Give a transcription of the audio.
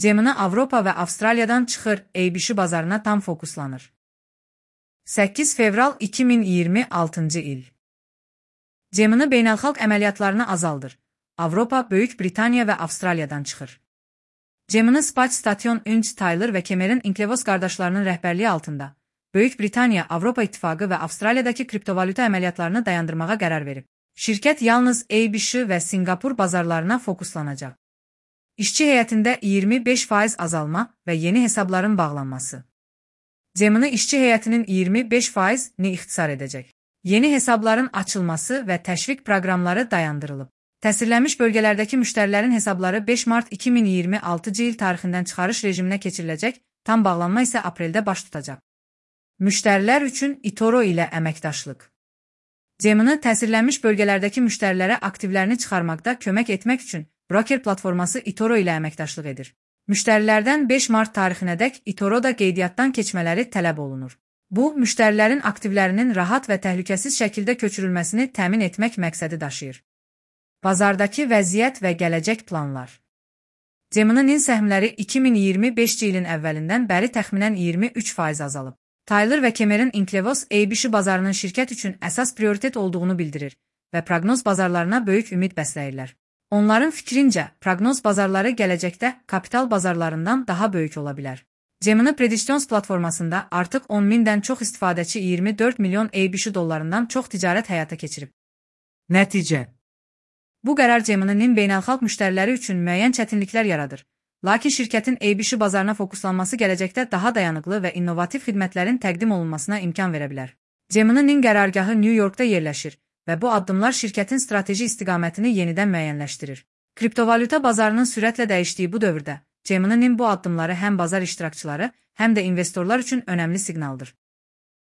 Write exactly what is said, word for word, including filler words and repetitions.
Gemini Avropa və Avstraliyadan çıxır, A B S bazarına tam fokuslanır. səkkiz fevral iki min iyirmi altıncı il. Gemini beynəlxalq əməliyyatlarını azaldır. Avropa, Böyük Britaniya və Avstraliyadan çıxır. Gemini Space Station üç Tyler və Cameron Inclevos qardaşlarının rəhbərliyi altında Böyük Britaniya, Avropa İttifaqı və Avstraliyadakı kriptovalyuta əməliyyatlarını dayandırmağa qərar verib. Şirkət yalnız A B S və Singapur bazarlarına fokuslanacaq. İşçi heyətində iyirmi beş faiz azalma və yeni hesabların bağlanması. Gemini işçi heyətinin iyirmi beş faizini ixtisar edəcək. Yeni hesabların açılması və təşviq proqramları dayandırılıb. Təsirlənmiş bölgələrdəki müştərilərin hesabları beş mart iki min iyirmi altıncı il tarixindən çıxarış rejiminə keçiriləcək, tam bağlanma isə apreldə baş tutacaq. Müştərilər üçün eToro ilə əməkdaşlıq. Gemini təsirlənmiş bölgələrdəki müştərilərə aktivlərini çıxarmaqda kömək etmək üçün broker platforması eToro ilə əməkdaşlıq edir. Müştərilərdən beş mart tarixinədək eToroda qeydiyyatdan keçmələri tələb olunur. Bu, müştərilərin aktivlərinin rahat və təhlükəsiz şəkildə köçürülməsini təmin etmək məqsədi daşıyır. Bazardakı vəziyyət və gələcək planlar. Gemini'nin səhmləri iki min iyirmi beşinci ilin əvvəlindən bəri təxminən iyirmi üç faiz azalıb. Tyler və Cameron Inclevos A B S bazarının şirkət üçün əsas prioritet olduğunu bildirir və proqnoz bazarlarına böyük ümid bəsləyirlər. Onların fikrincə, proqnoz bazarları gələcəkdə kapital bazarlarından daha böyük ola bilər. Gemini Predictions platformasında artıq on mindən çox istifadəçi iyirmi dörd milyon A B S dollarından çox ticarət həyata keçirib. Nəticə. Bu qərar Gemini'nin beynəlxalq müştəriləri üçün müəyyən çətinliklər yaradır. Lakin şirkətin A B S bazarına fokuslanması gələcəkdə daha dayanıqlı və innovativ xidmətlərin təqdim olunmasına imkan verə bilər. Gemini'nin qərargahı New Yorkda yerləşir və bu addımlar şirkətin strateji istiqamətini yenidən müəyyənləşdirir. Kriptovalyuta bazarının sürətlə dəyişdiyi bu dövrdə, Gemini'nin bu addımları həm bazar iştirakçıları, həm də investorlar üçün önəmli siqnaldır.